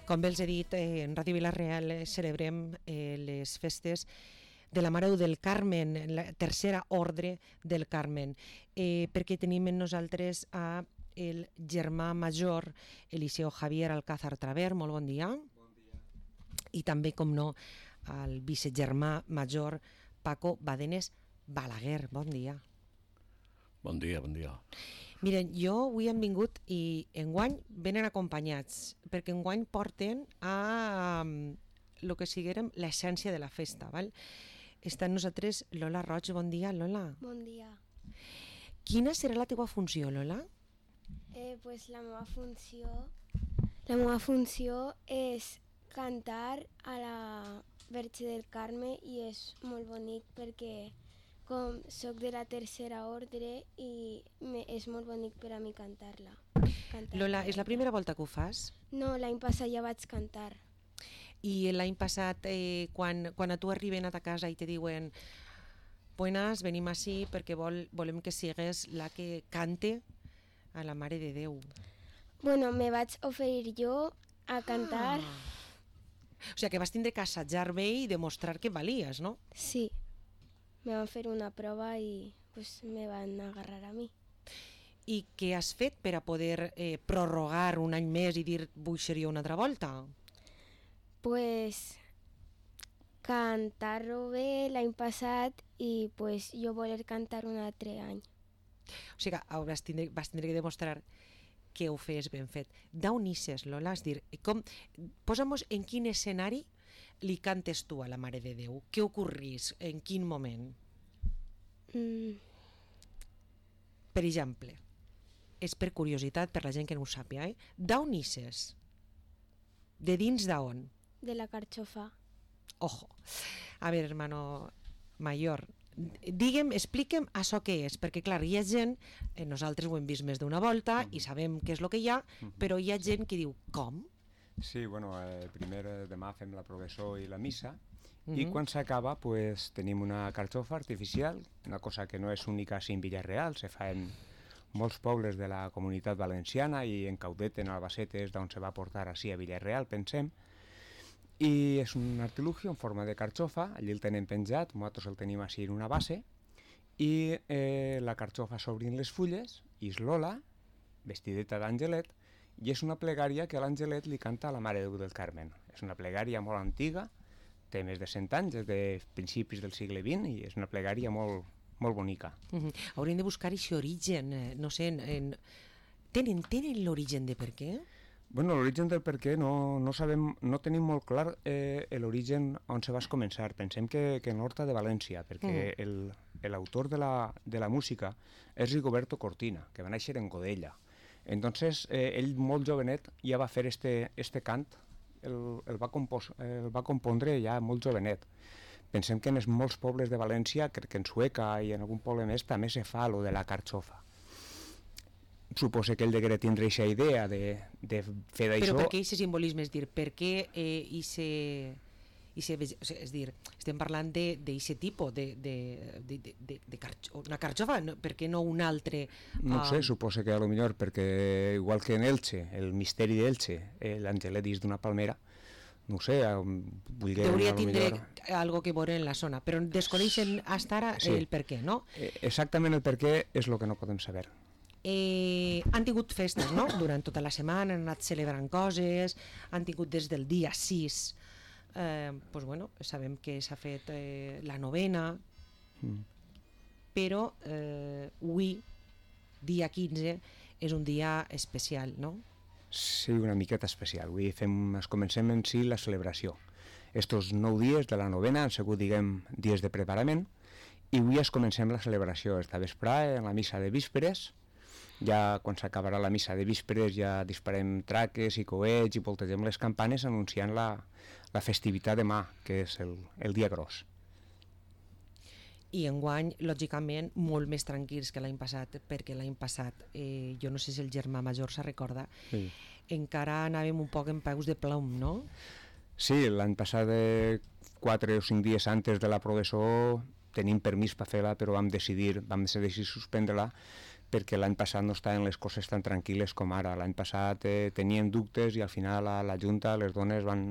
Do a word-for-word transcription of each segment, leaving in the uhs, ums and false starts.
Com bé els he dit, eh, en Ràdio Vila-real eh, celebrem eh, les festes de la Mare del Carmen, la tercera ordre del Carmen, eh, perquè tenim en nosaltres a el germà major Eliseo Javier Alcázar Traver. Molt bon dia. Bon dia. I també, com no, al vicegermà major Paco Badenes Balaguer. Bon dia. Bon dia, bon dia. Miren, jo avui hem vingut i enguany venen acompanyats, perquè enguany porten a um, lo que siguérem l'essència de la festa, val? Està amb nosaltres Lola Roig. Bon dia, Lola. Bon dia. Quina serà la teva funció, Lola? Eh, pues la meva funció la meva funció és cantar a la Verge del Carme i és molt bonic perquè com soc de la tercera ordre i me, és molt bonic per a mi cantar-la. Cantar Lola, és la primera volta que ho fas? No, l'any passat ja vaig cantar. I l'any passat, eh, quan, quan a tu arriben a ta casa i te diuen buenas, venim així perquè vol, volem que sigues la que cante a la Mare de Déu. Bueno, me vaig oferir jo a cantar. Ah. O sigui que vas tindre que assajar bé i demostrar que valies, no? Sí, me van fer una prova i pues, me van agarrar a mi. I què has fet per a poder eh, prorrogar un any més i dir vull ser jo una altra volta? Pues cantar-ho bé l'any passat i pues, jo voler cantar un altre any. O sigui que vas tindre, vas tindre que demostrar que ho fes ben fet. D'on ixes, Lola? És dir, com, posa'm-nos en quin escenari li cantes tu a la Mare de Déu? Què ocorrís? En quin moment? Mm. Per exemple, és per curiositat, per la gent que no ho sàpiga, eh? D'on ixes? De dins d'on? De la carxofa. Ojo. A veure, hermano mayor, digue'm, explique'm això què és, perquè clar, hi ha gent, eh, nosaltres ho hem vist més d'una volta i sabem què és el que hi ha, però hi ha gent que diu, com? Sí, bueno, eh, primer eh, demà fem la progressó i la missa Mm-hmm. i quan s'acaba pues, tenim una carxofa artificial, una cosa que no és única en Villarreal, se fa en molts pobles de la comunitat valenciana i en Caudet, en Albacete, és d'on se va portar així a Villarreal, pensem. I és un artilugio en forma de carxofa, allí el tenen penjat, nosaltres el tenim així en una base, i eh, la carxofa s'obrin les fulles, i és Lola, vestideta d'Angelet, i és una plegària que l'Angelet li canta a la Mare de Déu del Carmen. És una plegària molt antiga, té més de cent anys, des de principis del segle vint, i és una plegària molt, molt bonica. Mm-hmm. Hauríem de buscar aquest origen, eh, no sé, en, en... tenen, tenen l'origen de per què? Bueno, l'origen del per què no, no sabem, no tenim molt clar eh, l'origen on se va començar. Pensem que, que en l'Horta de València, perquè mm. l'autor de, la, de la música és Rigoberto Cortina, que va néixer en Godella. Entonces, eh, ell molt jovenet ja va fer este, este cant, el, el, va compos, el va compondre ja molt jovenet. Pensem que en molts pobles de València, crec que en Sueca i en algun poble més, també se fa lo de la carxofa. Suposo que ell degué tindre aquesta idea de, de fer d'això. Però per què aquest simbolisme? És dir, per què eh, ese, ese, és dir, estem parlant d'aquest tipus de, de, de, de, de, de carxo, una carxofa, no, per què no un altre? No uh... sé, suposo que a lo millor perquè igual que en Elche, el misteri d'Elche, eh, l'Angelet dins d'una palmera, no sé, vull dir... Hauria tindre millor... algo que veure en la zona, però desconeixen fins ara sí. el per què, no? Eh, exactament el per què és el que no podem saber. Eh, han tingut festes, no? Durant tota la setmana han anat celebrant coses, han tingut des del dia sis, eh, pues bueno, sabem que s'ha fet eh, la novena, mm. però eh, avui, dia quinze, és un dia especial, no? Sí, una miqueta especial. Avui fem, es comencem en si la celebració. Estos nou dies de la novena han sigut, diguem, dies de preparament, i avui es comencem la celebració esta vesprada en la missa de vísperes. Ja quan s'acabarà la missa de vísperes ja disparem traques i coets i voltegem les campanes anunciant la, la festivitat demà, que és el, el dia gros. I enguany, lògicament, molt més tranquils que l'any passat, perquè l'any passat, eh, jo no sé si el germà major se recorda, sí. encara anàvem un poc en peus de plom, no? Sí, l'any passat, eh, quatre o cinc dies antes de la progressó, tenim permís per fer-la, però vam decidir, vam decidir suspendre-la, perquè l'any passat no estaven les coses tan tranquil·les com ara. L'any passat eh, tenien dubtes i al final a la Junta les dones van,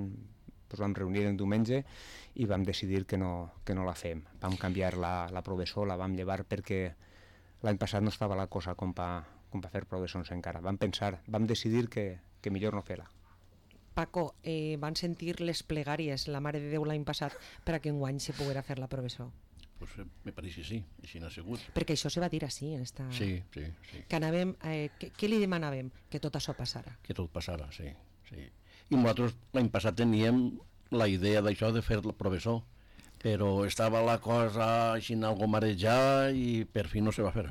pues, vam reunir el diumenge i vam decidir que no, que no la fem. Vam canviar la, la professor, la vam llevar perquè l'any passat no estava la cosa com per com pa fer professors encara. Vam pensar, vam decidir que, que millor no fer-la. Paco, eh, van sentir les plegàries, la Mare de Déu l'any passat, per a que enguany se poguera fer la professor? Pues eh, me pareix que sí, així n'ha sigut. Perquè això se va dir així en esta... Sí, sí, sí. Que anàvem, eh, que, què li demanàvem? Que tot això passara. Que tot passara, sí, sí. I nosaltres l'any passat teníem la idea d'això de fer el professor, però estava la cosa així algo marejada i per fi no se va fer.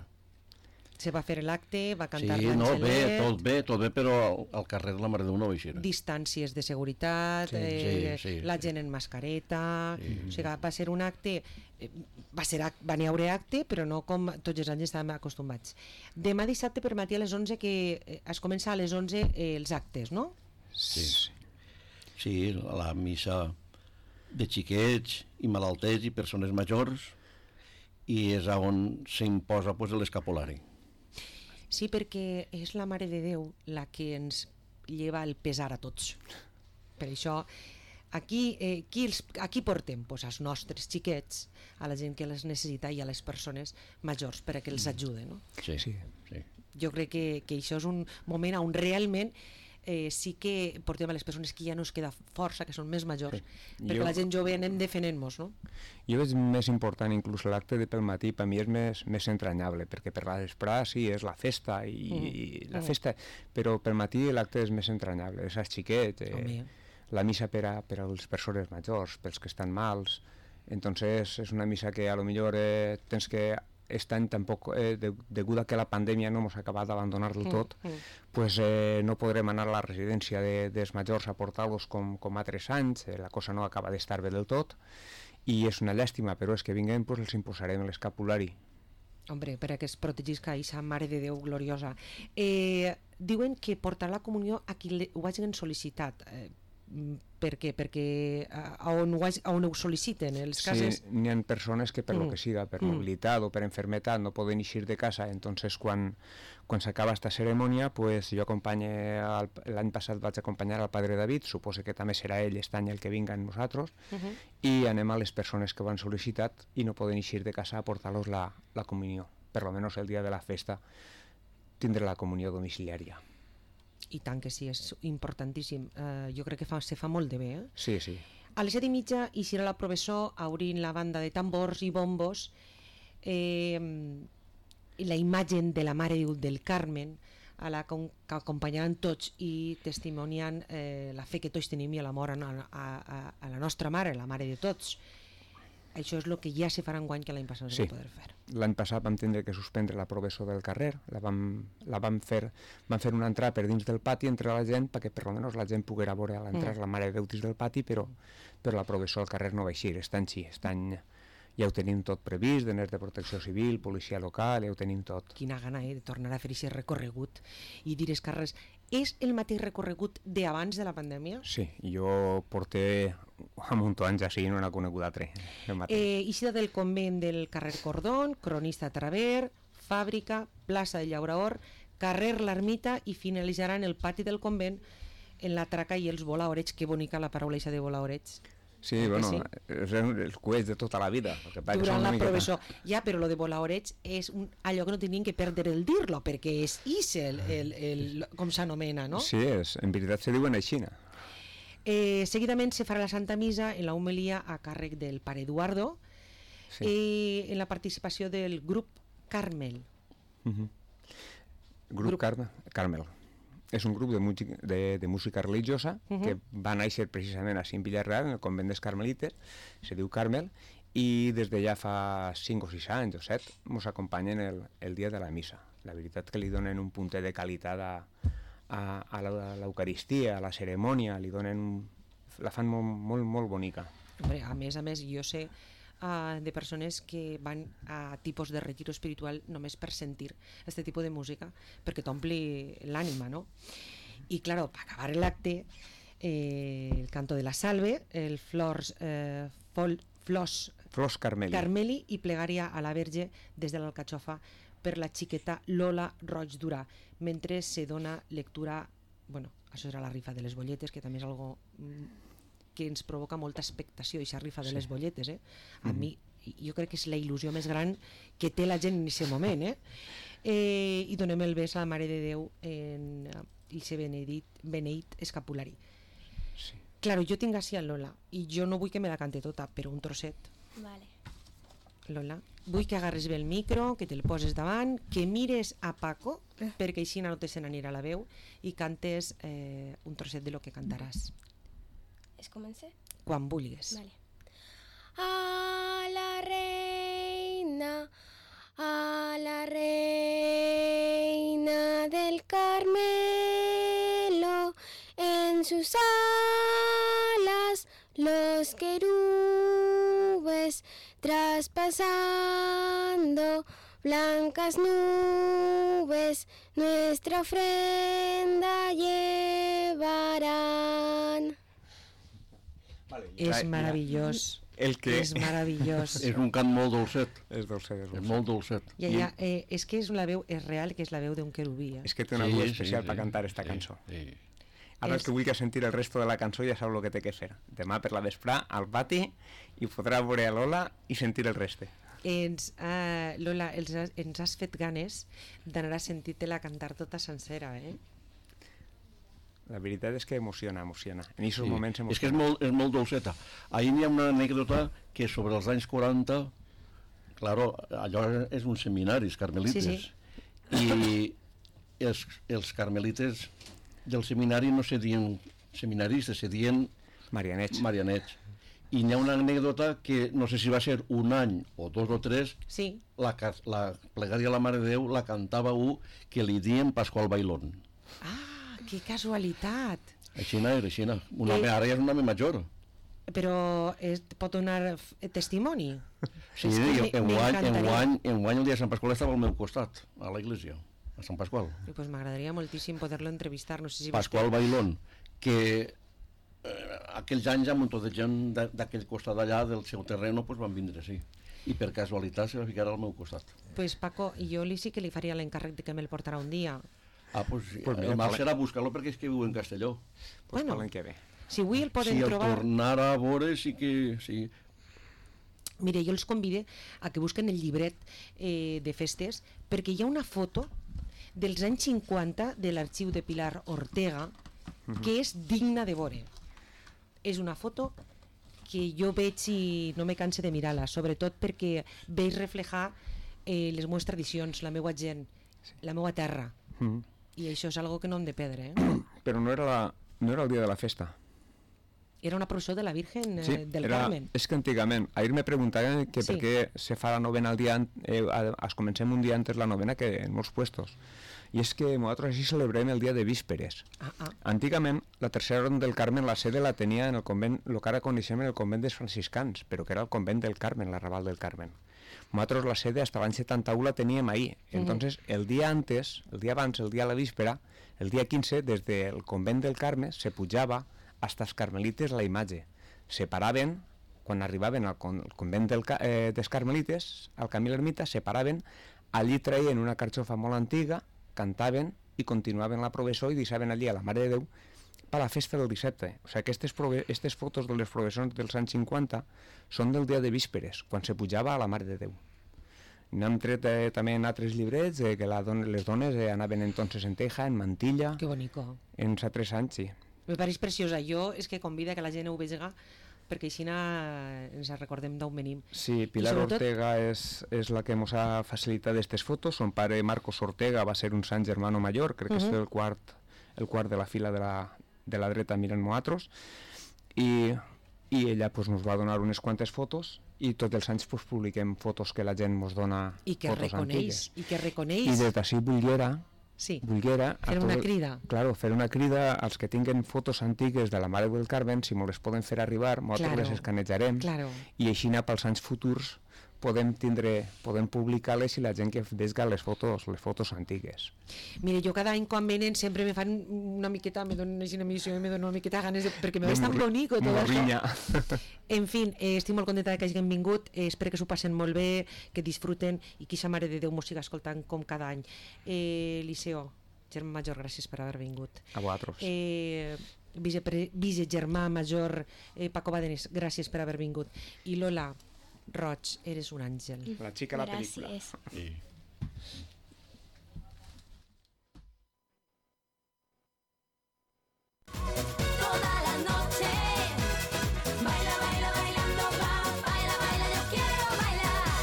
Se va fer l'acte, va cantar sí, no, bé, l'Angelet... tot bé, tot bé, però al, al carrer de la Mare de Déu no va eixir. Distàncies de seguretat, Sí, eh, sí, sí, la sí. gent en mascareta... Sí. O sigui, va ser un acte... eh, Va, ser, ac- va n'hi haure acte, però no com tots els anys estàvem acostumats. Demà dissabte per matí a les onze, que eh, es comença a les onze eh, els actes, no? Sí, sí, la missa de xiquets i malalters i persones majors, i és on s'imposa pues, l'escapulari. Sí, perquè és la Mare de Déu la que ens lleva el pesar a tots. Per això, aquí, eh, qui, els, aquí portem pues, als nostres xiquets, a la gent que les necessita i a les persones majors per a que els ajuden. No? Sí, Sí. sí. Jo crec que, que això és un moment on realment eh, sí que portem a les persones que ja no es queda força, que són més majors, Sí. perquè Jo- la gent jove anem defenent-nos, no? Jo veig més important inclús l'acte de pel matí, per mi és més, més entranyable, perquè per la vesprada sí, és la festa, i, Mm. i la Mm. festa, però pel matí l'acte és més entranyable, és als xiquets, eh, Home. la missa per a, per a les persones majors, pels que estan mals, entonces és una missa que a lo millor eh, tens que este any tampoc, eh, de, degut a que la pandèmia no ens ha acabat d'abandonar del tot, Mm, mm. pues, eh, no podrem anar a la residència de, dels majors a portar-los com, com altres anys, eh, la cosa no acaba d'estar bé del tot, i és una llàstima, però és que vinguem, pues, els imposarem l'escapulari. Hombre, per a que es protegisca aquesta Mare de Déu gloriosa. Eh, diuen que portar la comunió a qui le, ho hagin sol·licitat. Eh, mm, per què? Perquè a, a, on ho, hagi- a on ho sol·liciten, els casos... Sí, n'hi ha persones que per Mm. lo que siga, per Mm. mobilitat o per enfermetat, no poden eixir de casa, entonces quan, quan s'acaba esta cerimònia, pues, jo acompanye, al- l'any passat vaig acompanyar al Padre David, suposo que també serà ell este any el que vinga amb nosaltres, Uh -huh. i anem a les persones que ho han sol·licitat i no poden eixir de casa a portar-los la, la comunió. Per lo menos el dia de la festa tindre la comunió domiciliària. I tant que sí, és importantíssim. Eh, jo crec que fa, se fa molt de bé. Eh? Sí, sí. A les set i mitja eixirà la professor obrint la banda de tambors i bombos, eh, i la imatge de la Mare de Déu del Carmen, a la com- que acompanyaran tots i testimoniant eh, la fe que tots tenim i l'amor a, a, a, a la nostra mare, la mare de tots. Això és el que ja se farà enguany, que l'any passat no Sí. es va poder fer. L'any passat vam tindre que suspendre la professor del carrer, la vam, la vam, fer, vam fer una entrada per dins del pati entre la gent, perquè per almenys la gent poguera veure a l'entrar Mm. la Mare de Déu dins del pati, però, però la professor al carrer no va eixir, està així, està any, ja ho tenim tot previst, d'aners de protecció civil, policia local, ja ho tenim tot. Quina gana eh, de tornar a fer aquest recorregut i dir els carrers. És el mateix recorregut d'abans de la pandèmia? Sí, jo porté a munt anys així i no n'ha conegut altre. el mateix. Eh, eixida del convent del carrer Cordón, Cronista Traver, Fàbrica, plaça de Llaurador, carrer l'Ermita, i finalitzarà en el pati del convent en la traca i els volaorets. Que bonica la paraula eixa de volaorets. Sí, que bueno, sí? és els coets de tota la vida. El que passa que Durant són la una miqueta- professor. Ja, però lo de volaorets és un, allò que no tenien que perdre el dir-lo, perquè és ixe, el, el, el, com s'anomena, no? Sí, és, en veritat se diuen així. Eh, seguidament se farà la Santa Missa en la homilia a càrrec del pare Eduardo, Sí. eh, en la participació del grup Carmel. Uh -huh. Grup, Grup- Carme, Carmel. És un grup de, música, de, de música religiosa Uh -huh. que va néixer precisament a Cim Villarreal, en el convent dels Carmelites, se diu Carmel, i des de ja fa cinc o sis anys o set ens acompanyen el, el dia de la missa. La veritat que li donen un puntet de qualitat a, a, a la- a l'Eucaristia, a la cerimònia, li donen un, la fan molt, molt, molt bonica. Hombre, a més a més, jo sé uh, de persones que van a tipus de retiro espiritual només per sentir este tipus de música, perquè t'ompli l'ànima, no? I, claro, per acabar l'acte, eh, el canto de la salve, el flors, eh, fol, flors Flors Carmeli. Carmeli i plegària a la Verge des de l'Alcatxofa per la xiqueta Lola Roig Durà, mentre se dona lectura, bueno, això era la rifa de les bolletes, que també és algo que ens provoca molta expectació, i aquesta rifa de les bolletes, eh? A mi, jo crec que és la il·lusió més gran que té la gent en aquest moment, eh? eh i donem el bes a la Mare de Déu en el seu beneït, beneït escapulari. Sí. Claro, jo tinc així a Lola, i jo no vull que me la cante tota, però un trosset. Vale. Lola, vull que agarres bé el micro, que te'l poses davant, que mires a Paco, perquè així no te se n'anirà la veu, i cantes eh, un trosset de lo que cantaràs. Es comença? Quan vulguis. Vale. A la reina, a la reina del Carmelo, en sus alas los querubes traspasando blancas nubes, nuestra ofrenda llevarán. Vale, És meravellós. El que... És meravellós. És un cant molt dolcet, És dolcet, és és dolcet. molt dolcet. Ja, ja, eh, és que és la veu, és real que és la veu d'un querubí. Eh? És que té una Sí, veu sí, especial sí, per cantar esta sí, cançó. sí. Ara És- el que vulgui sentir el resto de la cançó ja sap el que té que fer. Demà per la vesprà al pati i podrà veure a Lola i sentir el reste. Ens, eh, Lola, els, has- ens has fet ganes d'anar a sentir-te-la cantar tota sencera, eh? La veritat és que emociona, emociona. En aquests Sí. moments És que és emociona. molt, és molt dolceta. Ahir hi ha una anècdota que sobre els anys quaranta, claro, allò és un seminari, els carmelites, Sí, sí. i els, els carmelites del seminari no se dien seminaristes, se dien Marianets. marianets. I hi ha una anècdota que no sé si va ser un any o dos o tres, Sí. la, ca- la plegària a la Mare de Déu la cantava un que li diem Pasqual Bailón. Ah, que casualitat. Així era, així era. Un home, Eh, ara ja és un home major. Però es, pot donar f- testimoni? Sí, És que en, me- en, guany, en, m'encantaria. guany, en guany el dia de Sant Pasqual estava al meu costat, a la iglesia, a Sant Pasqual. I pues m'agradaria moltíssim poder-lo entrevistar. No sé si Pasqual Bailón, que eh, aquells anys ja un munt de gent d'a- d'aquell costat d'allà, del seu terreno, pues van vindre, sí. I per casualitat se va ficar al meu costat. Pues Paco, jo li sí que li faria l'encàrrec de que me'l portarà un dia. Ah, pues, sí, Pues mira, el mal parla- serà buscar-lo perquè és que viu en Castelló. Pues Bueno. l'any que ve. Si avui el poden Si el trobar... tornara a veure, sí que... Sí. Mire, jo els convide a que busquen el llibret eh, de festes, perquè hi ha una foto dels anys cinquanta de l'arxiu de Pilar Ortega que és digna de veure. És una foto que jo veig i no me canse de mirar-la, sobretot perquè veig reflejar eh, les meves tradicions, la meva gent, la meva terra. Mm. I això és algo que no hem de perdre. Eh? Però no era, la, no era el dia de la festa. Era una processó de la Virgen eh, Sí, del era, Carmen. és que antigament, ahir me preguntaven que Sí. per què se fa la novena al dia, an- eh, a- es comencem un dia antes la novena que en molts puestos. I és que nosaltres així celebrem el dia de vísperes. Ah, ah. Antigament, la tercera ronda del Carmen, la sede la tenia en el convent, el que ara coneixem en el convent dels franciscans, però que era el convent del Carmen, l'arrabal del Carmen. Nosaltres la sede, hasta l'any setanta u, la teníem ahí. Entonces, el dia antes, el dia abans, el dia a la víspera, el dia quinze, des del convent del Carme, se pujava hasta els carmelites la imatge. Se paraven, quan arribaven al, con al convent del, Ca- eh, dels carmelites, al camí a l'ermita, se paraven, allí traien una carxofa molt antiga, cantaven i continuaven la processó i deixaven allí a la Mare de Déu per la festa del dissabte. O sigui, aquestes, aquestes fotos de les processons dels anys cinquanta són del dia de vísperes, quan se pujava a la Mare de Déu. N'hem tret eh, també en altres llibrets eh, que la don les dones eh, anaven entonces en teja, en mantilla, Que bonico. en sa tres anys, sí. Me pareix preciosa. Jo és que convida que la gent ho vegi perquè així ens recordem d'on venim. Sí, Pilar sobretot- Ortega és, és la que ens ha facilitat aquestes fotos. Son pare, Marcos Ortega, va ser un sant germano major, crec que Mhm. és el quart, el quart de la fila de la, de la dreta mirant nosaltres, i, i ella pues, nos va donar unes quantes fotos i tots els anys pues, publiquem fotos que la gent ens dona I que fotos reconeix, antigues. i que I reconeix. des d'ací volguera, Sí, volguera a fer una tot- crida. Claro, fer una crida als que tinguen fotos antigues de la Mare del Carmen, si me les poden fer arribar, nosaltres Claro, les escanejarem claro. i així anar pels anys futurs podem tindre, podem publicar-les i la gent que vesga les fotos, les fotos antigues. Mira, jo cada any quan venen sempre me fan una miqueta, me donen una missió i me donen una miqueta ganes de, perquè me veig tan bonic tot això. En fi, eh, estic molt contenta que hagin vingut, eh, espero que s'ho passen molt bé, que disfruten i que sa Mare de Déu mos siga escoltant com cada any. Eh, Liceo, germà major, gràcies per haver vingut. A vosaltres. Eh, vicepre, vicegermà major eh, Paco Badenes, gràcies per haver vingut. I Lola Roig, eres un àngel. La xica de la pel·lícula. Gràcies. Sí.